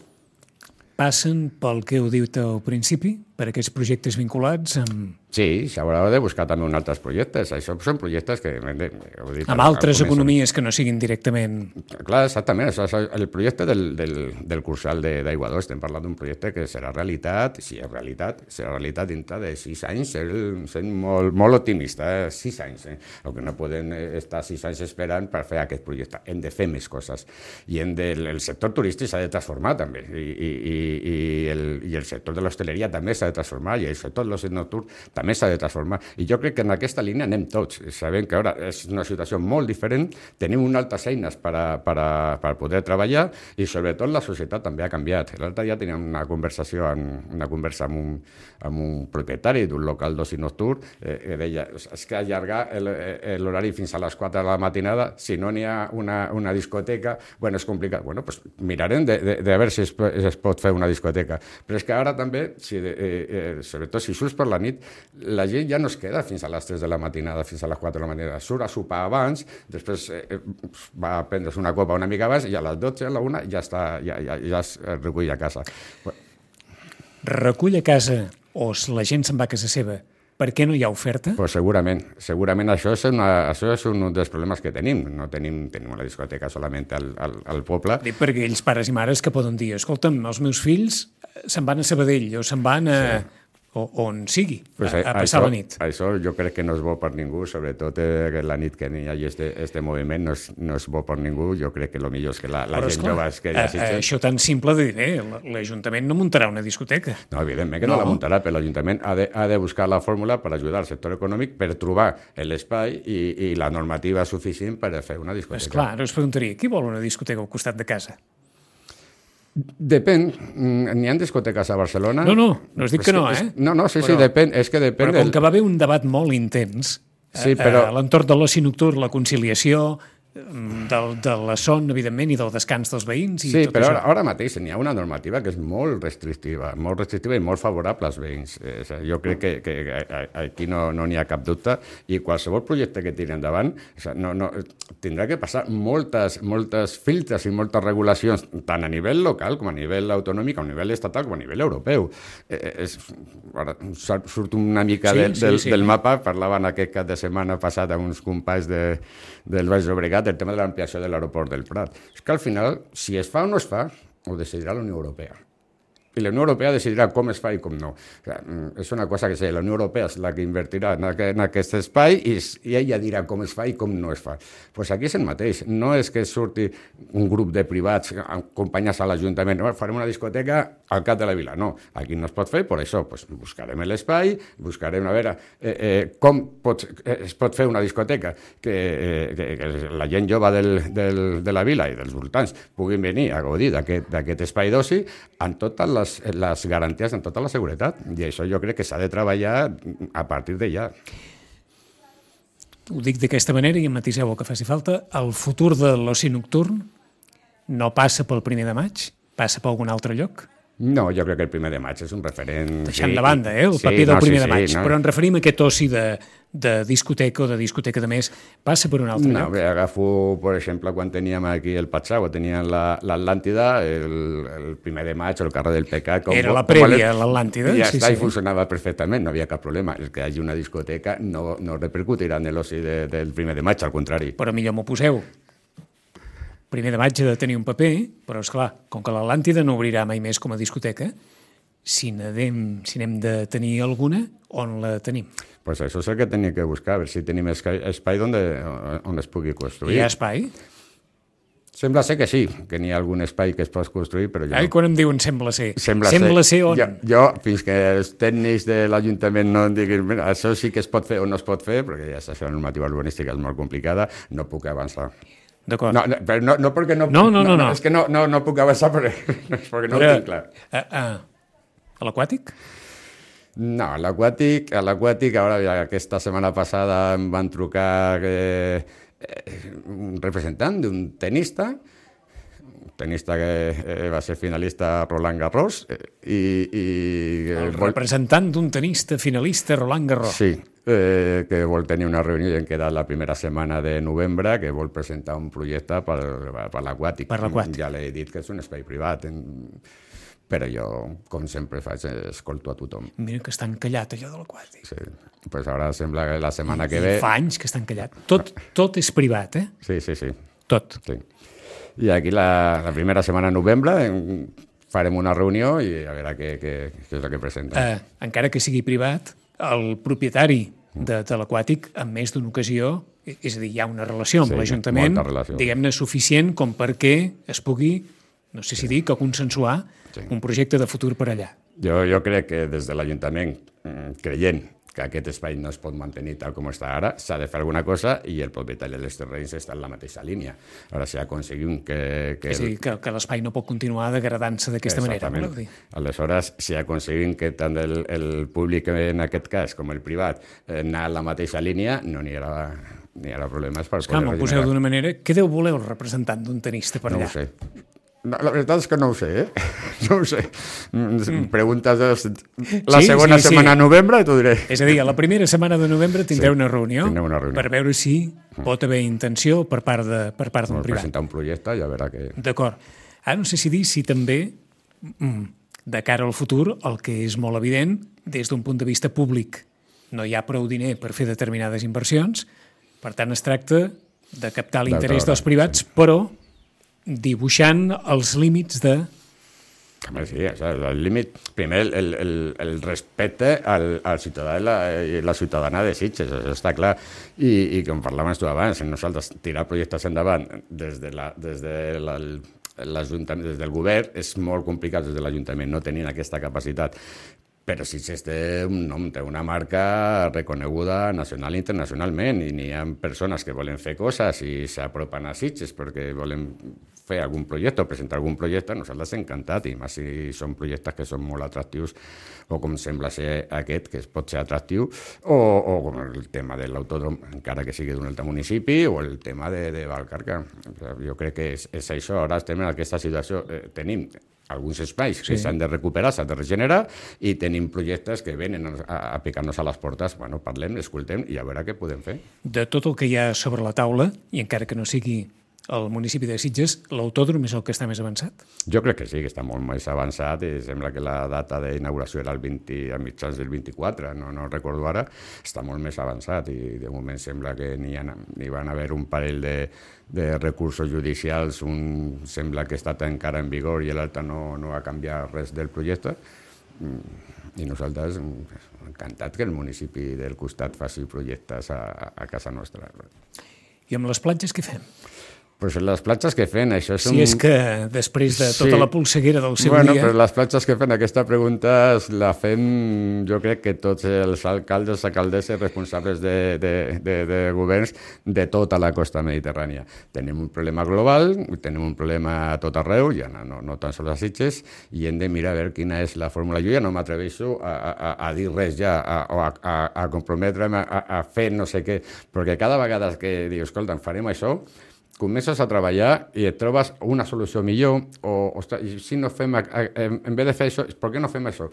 passen pel que heu dit al principi, per aquests projectes vinculats amb... Sí, s'haurà de buscar també uns altres projectes. Això són projectes que... Heu dit, amb altres economies que no siguin directament... Clar, exactament. Això, això, el projecte del, del, del Cursal d'Aigua dos, estem parlant d'un projecte que serà realitat, si és realitat, serà realitat dintre de sis anys, sent molt, molt optimista, eh? sis anys. Eh? El que no podem estar sis anys esperant per fer aquest projecte. Hem de fer més coses. I hem de, el sector turístic s'ha de transformar també, i, i, i, el, i el sector de l'hostaleria també s'ha de transformar, i el sector de l'oci nocturn també s'ha de transformar. I jo crec que en aquesta línia anem tots. Sabem que ara és una situació molt diferent, tenim unes altres eines per, a, per, a, per poder treballar i sobretot la societat també ha canviat. L'altre dia teníem una conversació, una conversa amb un, amb un propietari d'un local d'oci nocturn eh, que deia, és que allargar l'horari fins a les quatre de la matinada, si no n'hi ha una, una discoteca, bueno, és complicat. Bueno, pues mirarem de, de, de veure si es, es pot fer una discoteca. Però és que ara també, si, eh, eh, sobretot si surts per la nit, la gent ja no es queda fins a les tres de la matinada, fins a les quatre de la matinada. Surt a sopar abans, després eh, va a prendre's una copa una mica abans i a les dotze, a la una, ja, està, ja, ja, ja es recull a casa. Recull a casa o la gent se'n va a casa seva, per què no hi ha oferta? Pues segurament. Segurament això és, una, això és un dels problemes que tenim. No tenim, tenim una discoteca solament al, al, al poble. Dic per aquells pares i mares que poden dir, escolta'm, els meus fills se'n van a Sabadell o se'n van a... Sí. o on sigui, pues a, a passar això, la nit. Això jo crec que no és bo per ningú, sobretot eh, la nit que hi hagi este, este moviment no és, no és bo per ningú. Jo crec que el millor és que la, la Però, gent esclar, jove es quedi a Sitges. Això tan simple de dir, eh, l'Ajuntament no muntarà una discoteca. No, evidentment que no, no la muntarà, però l'Ajuntament ha, de, ha de buscar la fórmula per ajudar al sector econòmic per trobar l'espai i, i la normativa suficient per fer una discoteca. Esclar, ara us preguntaria, qui vol una discoteca al costat de casa? Depèn. N'hi ha discoteques a Barcelona... No, no, no us dic que no, eh? No, no, sí, però, sí, depèn. És que depèn... Però com del... que va haver un debat molt intens sí, però... a l'entorn de l'oci nocturn, la conciliació... Del, de la son, evidentment, i del descans dels veïns i sí, tot però això. Ara, ara mateix n'hi ha una normativa que és molt restrictiva, molt restrictiva i molt favorable als veïns. Eh, jo crec que, que aquí no n'hi no ha cap dubte i qualsevol projecte que tiri endavant no, no, tindrà que passar moltes, moltes filtres i moltes regulacions, tant a nivell local com a nivell autonòmic, a nivell estatal com a nivell europeu. Eh, és, ara, surt una mica sí, de, sí, del, sí. del mapa, parlaven aquest cap de setmana passat amb uns companys de, del Baix Llobregat el tema de l'ampliació de l'aeroport del Prat. És que al final, si es fa o no es fa, ho decidirà la Unió Europea. I la Unió Europea decidirà com es fa i com no. O sigui, és una cosa que sé, la Unió Europea és la que invertirà en aquest, en aquest espai i, i ella dirà com es fa i com no es fa. Doncs pues aquí és el mateix. No és que surti un grup de privats acompanyats a l'Ajuntament, farem una discoteca al cap de la vila. No, aquí no es pot fer, per això pues, buscarem l'espai, buscarem a veure eh, eh, com pot, eh, es pot fer una discoteca que, eh, que, que la gent jove del, del, de la vila i dels voltants puguin venir a gaudir d'aquest espai d'oci amb totes les Les, les garanties en tota la seguretat. I això jo crec que s'ha de treballar a partir de ja. Ho dic d'aquesta manera i em matiseu el que faci falta. El futur de l'oci nocturn no passa pel primer de maig? Passa per algun altre lloc? No, jo crec que el primer de maig és un referent... Deixant sí, de banda, eh, el paper sí, del primer no, sí, de maig, sí, no. Però en referim a aquest oci de, de discoteca o de discoteca de més, passa per un altre no, lloc? No, agafo, per exemple, quan teníem aquí el Patsau, teníem l'Atlàntida, el, el primer de maig, el carrer del Pecat... Com, Era la prèvia, l'Atlàntida. Ja sí, està, sí. I funcionava perfectament, no havia cap problema. El que hi hagi una discoteca no, no repercutirà en l'oci de, del primer de maig, al contrari. Però millor m'ho poseu. Primer de maig ha de tenir un paper, però, esclar, com que l'Atlàntida no obrirà mai més com a discoteca, si n'hem si n'hem de tenir alguna, on la tenim? Pues això és el que tenim que buscar, a veure si tenim espai, espai on, de, on es pugui construir. Hi ha espai? Sembla ser que sí, que n'hi ha algun espai que es pot construir, però jo... Ai, quan em diuen sembla ser? Sembla, sembla ser, ser on? Jo, jo, fins que els tècnics de l'Ajuntament no em diguin mira, això sí que es pot fer o no es pot fer, perquè ja saps que la normativa urbanística és molt complicada, no puc avançar. D'acord. No, no, però no, no perquè no... No, no, no. no, no. És que no, no, no puc avançar perquè, perquè no però, ho tinc clar. A, a, a l'aquàtic? No, a l'aquàtic, a l'aquàtic, ara aquesta setmana passada em van trucar eh, eh, un representant d'un tenista, un tenista que eh, va ser finalista Roland Garros, eh, i... i El vol... representant d'un tenista finalista Roland Garros. Sí, eh, que vol tenir una reunió i en queda la primera setmana de novembre, que vol presentar un projecte per, per l'aquàtic. Per l'aquàtic. Ja l'he dit que és un espai privat, en... però jo, com sempre faig, escolto a tothom. Mira que està encallat, allò de l'aquàtic. Sí, pues ara sembla que la setmana I, que ve... I fa anys que està encallat. Tot, tot és privat, eh? Sí, sí, sí. Tot. Sí. I aquí la, la primera setmana de novembre farem una reunió i a veure què, què, què és el que presenten. Eh, encara que sigui privat, el propietari de, de l'aquàtic, en més d'una ocasió, és a dir, hi ha una relació amb sí, l'Ajuntament, relació. Diguem-ne, suficient com perquè es pugui, no sé si dir, que consensuar sí. un projecte de futur per allà. Jo, jo crec que des de l'Ajuntament, creient que aquest espai no es pot mantenir tal com està ara, s'ha de fer alguna cosa i el propietari dels terrenys està en la mateixa línia. Ara, si aconseguim que... que és a dir, que, que l'espai no pot continuar degradant-se d'aquesta manera, voleu dir? Aleshores, si aconseguim que tant el, el públic, en aquest cas, com el privat, eh, anar a la mateixa línia, no n'hi haurà, n'hi haurà problemes per Esclar, poder regenerar. M'ho poseu d'una manera... Què deu voler el representant d'un tenista per allà? No ho sé. No, la veritat és que no ho sé, eh? No ho sé. Mm. Preguntes la sí, segona sí, setmana sí. de novembre i t'ho diré. És a dir, a la primera setmana de novembre tindreu sí, una, reunió una reunió per veure si pot haver intenció per part de per part d'un privat. Presentar un projecte i a veure què... D'acord. Ara no sé si dir si també, de cara al futur, el que és molt evident, des d'un punt de vista públic, no hi ha prou diner per fer determinades inversions, per tant es tracta de captar l'interès dels privats, sí. però dibuixant els límits de... Sí, el límit, primer el, el, el respecte al, al ciutadà i la, i la ciutadana de Sitges, això està clar, i, i com parlàvem tu abans, nosaltres tirar projectes endavant des, de la, des, de la, des del govern és molt complicat des de l'Ajuntament, no tenint aquesta capacitat. Però Sitges té un nom, té una marca reconeguda nacional i internacionalment i n'hi ha persones que volen fer coses i s'apropen a Sitges perquè volen fer algun projecte o presentar algun projecte, nosaltres encantat, i més si són projectes que són molt atractius, o com sembla ser aquest, que pot ser atractiu, o, o com el tema de l'autòdrom, encara que sigui d'un altre municipi, o el tema de, de Valcarca. Jo crec que és, és això. Ara estem en aquesta situació. Eh, tenim alguns espais que s'han sí. de recuperar, s'han de regenerar, i tenim projectes que venen a, a picar-nos a les portes. Bueno, parlem, escoltem i a veure què podem fer. De tot el que hi ha sobre la taula, i encara que no sigui el municipi de Sitges, l'autòdrom és el que està més avançat? Jo crec que sí, que està molt més avançat, i sembla que la data d'inauguració era el vint, a mitjans del vint-i-quatre, no, no recordo ara, està molt més avançat, i de moment sembla que n'hi, ha, n'hi van haver un parell de, de recursos judicials, un sembla que està encara en vigor i l'altre no, no ha canviat res del projecte, i nosaltres encantat que el municipi del costat faci projectes a, a casa nostra. I amb les platges què fem? Pues les platges que fem, això és un... Si és que després de tota sí. la polseguera del seu bueno, dia... Bueno, però les platges que fem, aquesta pregunta la fem, jo crec que tots els alcaldes, alcaldesses responsables de, de, de, de governs de tota la costa mediterrània. Tenim un problema global, tenim un problema a tot arreu, ja no, no, no tan sols a Sitges, i hem de mirar a veure quina és la fórmula. Jo ja no m'atreveixo a, a, a dir res ja, a, a, a, a comprometre'm a, a fer no sé què, perquè cada vegada que dius, escolta, farem això, comences a treballar i et trobes una solució millor, o, ostres, si no fem, en vez de fer això, per què no fem això?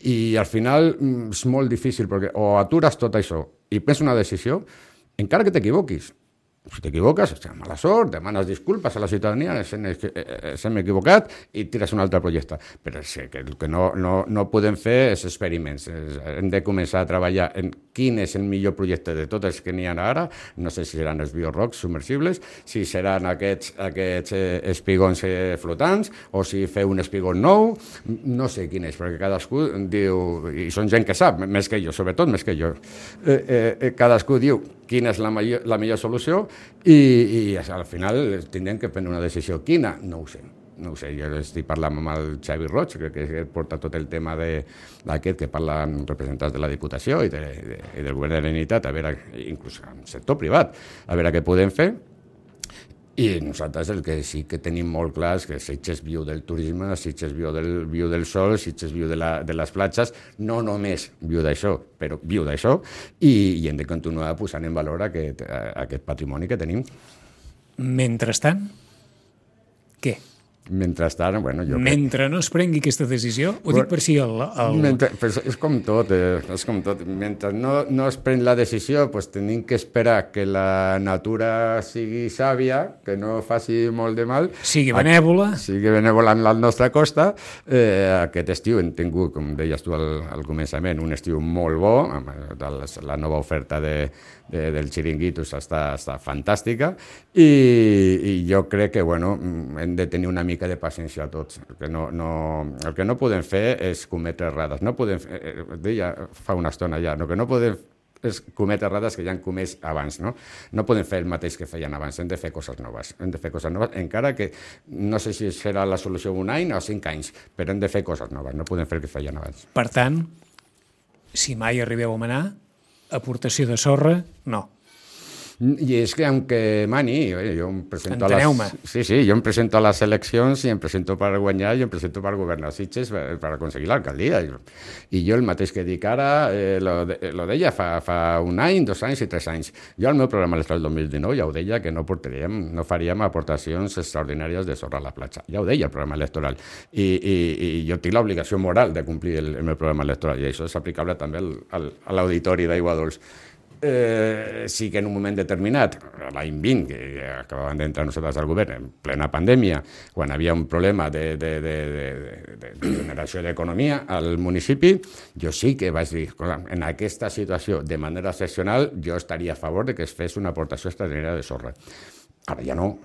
I al final és molt difícil, perquè o atures tot això i prens una decisió, encara que t'equivoquis. Si t'equivoques, mala sort, demanes disculpes a la ciutadania, s'hem equivocat, i tires un altre projecte. Però sí, que el que no, no, no podem fer és experiments. Hem de començar a treballar en quin és el millor projecte de tots els que n'hi ha ara. No sé si seran els biorocs submersibles, si seran aquests, aquests espigons flotants, o si feu un espigón nou. No sé quin és, perquè cadascú diu, i són gent que sap, més que jo, sobretot més que jo. Eh, eh, cadascú diu quina és la millor, la millor solució, i, i al final tindrem que prendre una decisió. Quina? No ho sé. No ho sé, jo estic parlant amb el Xavi Roig, que porta tot el tema d'aquest, que parla amb representants de la Diputació i, de, de, i del Govern de la Generalitat, a veure, inclús en el sector privat, a veure què podem fer. I nosaltres el que sí que tenim molt clar és que Sitges viu del turisme, Sitges viu del, viu del sol, Sitges viu de, la, de les platges, no només viu d'això, però viu d'això, i, i hem de continuar posant en valor aquest, aquest patrimoni que tenim. Mentrestant, què? Mentrestant, bueno, jo... Mentre no es prengui aquesta decisió, ho dic per si el... el... Mentre, és com tot, eh, és com tot. Mentre no, no es pren la decisió, pues tenim que esperar que la natura sigui sàvia, que no faci molt de mal. Sigui benèvola. A, sigui benèvola en la nostra costa. Eh, aquest estiu hem tingut, com deies tu al, al començament, un estiu molt bo, amb la nova oferta de, de, del xiringuitos està, està fantàstica, i, i jo crec que, bueno, hem de tenir una mica de paciència a tots. El que no, no, el que no podem fer és cometre errades. No podem fer, eh, deia fa una estona ja, el que no podem és cometre errades que ja han comès abans, no? No podem fer el mateix que feien abans, hem de fer coses noves. Hem de fer coses noves, encara que no sé si serà la solució un any o cinc anys, però hem de fer coses noves, no podem fer el que feien abans. Per tant, si mai arribeu a manar, aportació de sorra, no. I és que, aunque mani, jo em presento a les... Sí, sí, jo em presento a les eleccions i em presento per guanyar i em presento per governar Sitges per, per aconseguir l'alcaldia. I jo el mateix que dic ara, eh, lo, de, lo deia fa, fa un any, dos anys i tres anys. Jo al meu programa electoral dos mil dinou ja ho deia que no portaríem, no faríem aportacions extraordinàries de sorra a la platja. Ja ho deia el programa electoral. I, i, i jo tinc l'obligació moral de complir el, el meu programa electoral, i això és aplicable també al, al, a l'auditori d'Aigua Dols. Eh, sí que en un moment determinat, l'any vint, que acabaven d'entrar nosaltres al govern en plena pandèmia, quan hi havia un problema de, de, de, de, de, de generació d'economia al municipi, jo sí que vaig dir, en aquesta situació, de manera excepcional, jo estaria a favor de que es fes una aportació extraordinària de sorra. Ara ja no.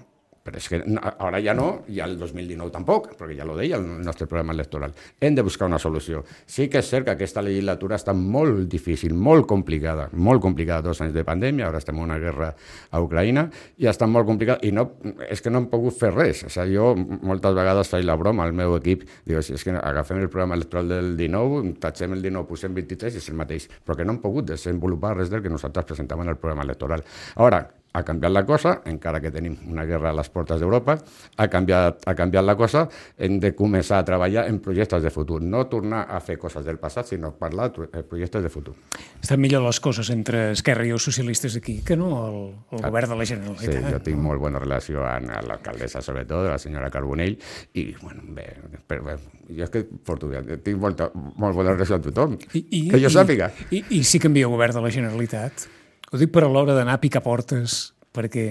Però és que ara ja no, i el dos mil dinou tampoc, perquè ja ho deia el nostre programa electoral. Hem de buscar una solució. Sí que és cert que aquesta legislatura està molt difícil, molt complicada, molt complicada, dos anys de pandèmia, ara estem en una guerra a Ucraïna, i està molt complicada, i no, és que no hem pogut fer res. O sigui, jo moltes vegades faig la broma al meu equip, digo, si és que agafem el programa electoral del dinou, tatxem el dinou, posem vint-i-tres i és el mateix, però que no hem pogut desenvolupar res del que nosaltres presentàvem en el programa electoral. Ara, ha canviat la cosa, encara que tenim una guerra a les portes d'Europa, ha canviat, ha canviat la cosa, hem de començar a treballar en projectes de futur, no tornar a fer coses del passat, sinó parlar de projectes de futur. Estan millor les coses entre Esquerra i els socialistes aquí que no el, el ah, govern de la Generalitat. Sí, jo tinc molt bona relació amb l'alcaldessa, sobretot, la senyora Carbonell, i, bueno, bé, però, bé jo és que porto, tinc molta, molt bona relació amb tothom, I, i, que jo sàpiga. I, i, I si canvia el govern de la Generalitat? Ho dic per a l'hora d'anar a picar portes, perquè...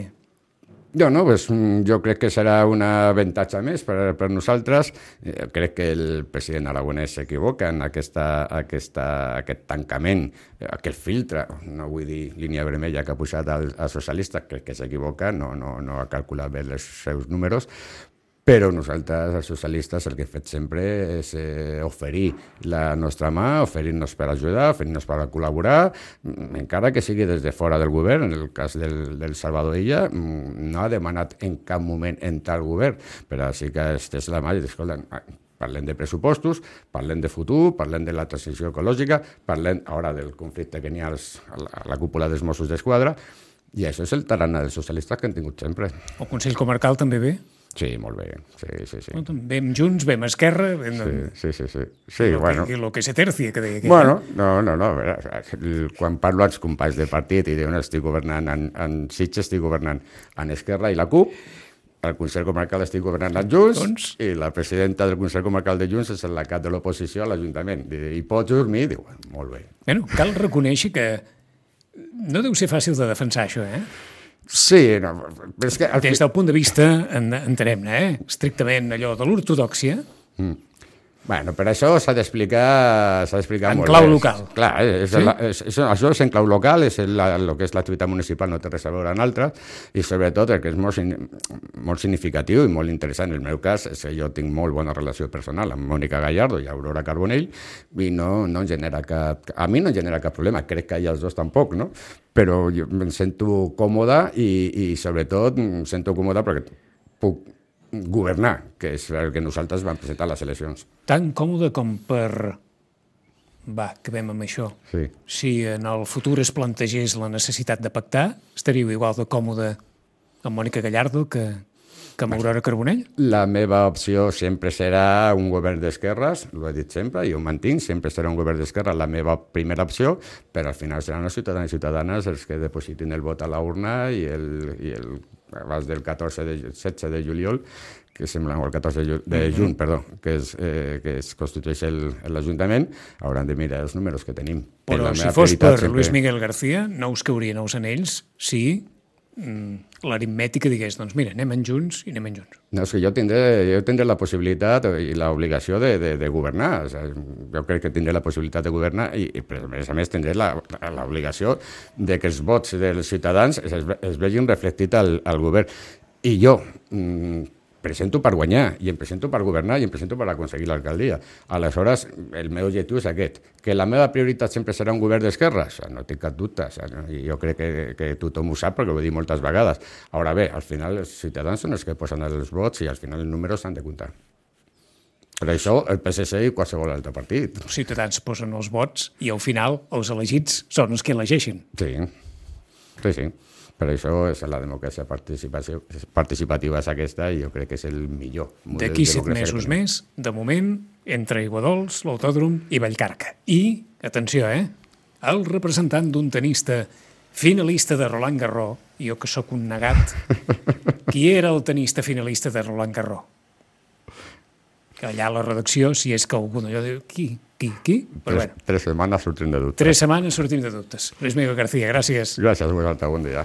Jo no, pues, jo crec que serà un avantatge més per, per nosaltres. Eh, crec que el president aragonès s'equivoca en aquesta, aquesta, aquest tancament, aquest filtre, no vull dir línia vermella que ha posat als socialistes, crec que s'equivoca, no, no, no ha calculat bé els seus números, però nosaltres, els socialistes, el que hem fet sempre és eh, oferir la nostra mà, oferir-nos per ajudar, oferir-nos per col·laborar, encara que sigui des de fora del govern. En el cas del, del Salvador Illa, no ha demanat en cap moment entrar al govern, però sí que estès la mà i dius, escolta, parlem de pressupostos, parlem de futur, parlem de la transició ecològica, parlem ara del conflicte que n'hi ha als, a, la, a la cúpula dels Mossos d'Esquadra, i això és el tarannà dels socialistes que han tingut sempre. El Consell Comarcal també ve? Sí, molt bé, sí, sí, sí. Vam Junts, vam Esquerra... Vam... Sí, sí, sí, sí. sí lo, bueno. que, lo que se tercia, que deia. Bueno, no, no, no. Quan parlo als companys de partit i diuen estic governant en, en Sitges, estic governant en Esquerra i la CUP, al Consell Comarcal estic governant en Junts, doncs... i la presidenta del Consell Comarcal de Junts és la cap de l'oposició a l'Ajuntament. I pots dormir? Diu, molt bé. Bueno, cal reconèixer que no deu ser fàcil de defensar això, eh? Sí, no, és que... Des del punt de vista, en, entenem, eh? estrictament allò de l'ortodòxia... Mm. Bueno, per això s'ha d'explicar s'ha d'explicar molt bé. En clau local. Clar, és, sí? la, és, és, això és en clau local, és el, el que és l'activitat municipal, no té res a veure amb altres, i sobretot el que és molt, molt significatiu i molt interessant. En el meu cas és que jo tinc molt bona relació personal amb Mònica Gallardo i Aurora Carbonell, i no, no em genera cap... A mi no em genera cap problema, crec que a els dos tampoc, no? Però jo em sento còmoda i, i sobretot em sento còmoda perquè puc governar, que és el que nosaltres vam presentar a les eleccions. Tan còmode com per... Va, acabem amb això. Sí. Si en el futur es plantegés la necessitat de pactar, estaríeu igual de còmode amb Mònica Gallardo que, que amb Aurora Carbonell? La meva opció sempre serà un govern d'esquerres, ho he dit sempre, i ho mantinc, sempre serà un govern d'esquerres la meva primera opció, però al final seran els ciutadans i ciutadanes els que depositin el vot a la urna i el... I el abans del catorze de, setze de juliol, que sembla, o el catorze de, de juny, mm-hmm. perdó, que es, eh, que es constitueix l'Ajuntament, hauran de mirar els números que tenim. Però si fos per sempre... Luis Miguel García, no us caurien els anells si mm, l'aritmètica digués, doncs mira, anem en Junts i anem en Junts. No, és que jo tindré, jo tindré la possibilitat i l'obligació de, de, de governar. O sigui, jo crec que tindré la possibilitat de governar i, i a més a més, tindré l'obligació de que els vots dels ciutadans es, es vegin reflectit al, al govern. I jo mm, presento per guanyar, i em presento per governar, i em presento per aconseguir l'alcaldia. Aleshores, el meu objectiu és aquest. Que la meva prioritat sempre serà un govern d'esquerres? No tinc cap dubte. I jo crec que, que tothom ho sap, perquè ho he dit moltes vegades. Ara bé, al final els ciutadans són els que posen els vots i al final els números s'han de comptar. Per això el P S C i qualsevol altre partit. Els ciutadans posen els vots i al final els elegits són els que elegeixen. Sí, sí, sí. Per això és la democràcia participativa és aquesta i jo crec que és el millor model. D'aquí set mesos més, de moment, entre Aiguadols, l'Autòdrom i Vallcarca. I, atenció, eh, el representant d'un tenista finalista de Roland Garros, jo que sóc un negat, qui era el tenista finalista de Roland Garros? Que allà a la redacció, si és que algú d'allò diu, qui, qui, qui? Però tres, bueno, tres setmanes sortint de dubtes. Tres setmanes sortint de dubtes. Luis Miguel García, gràcies. Gràcies, bon dia.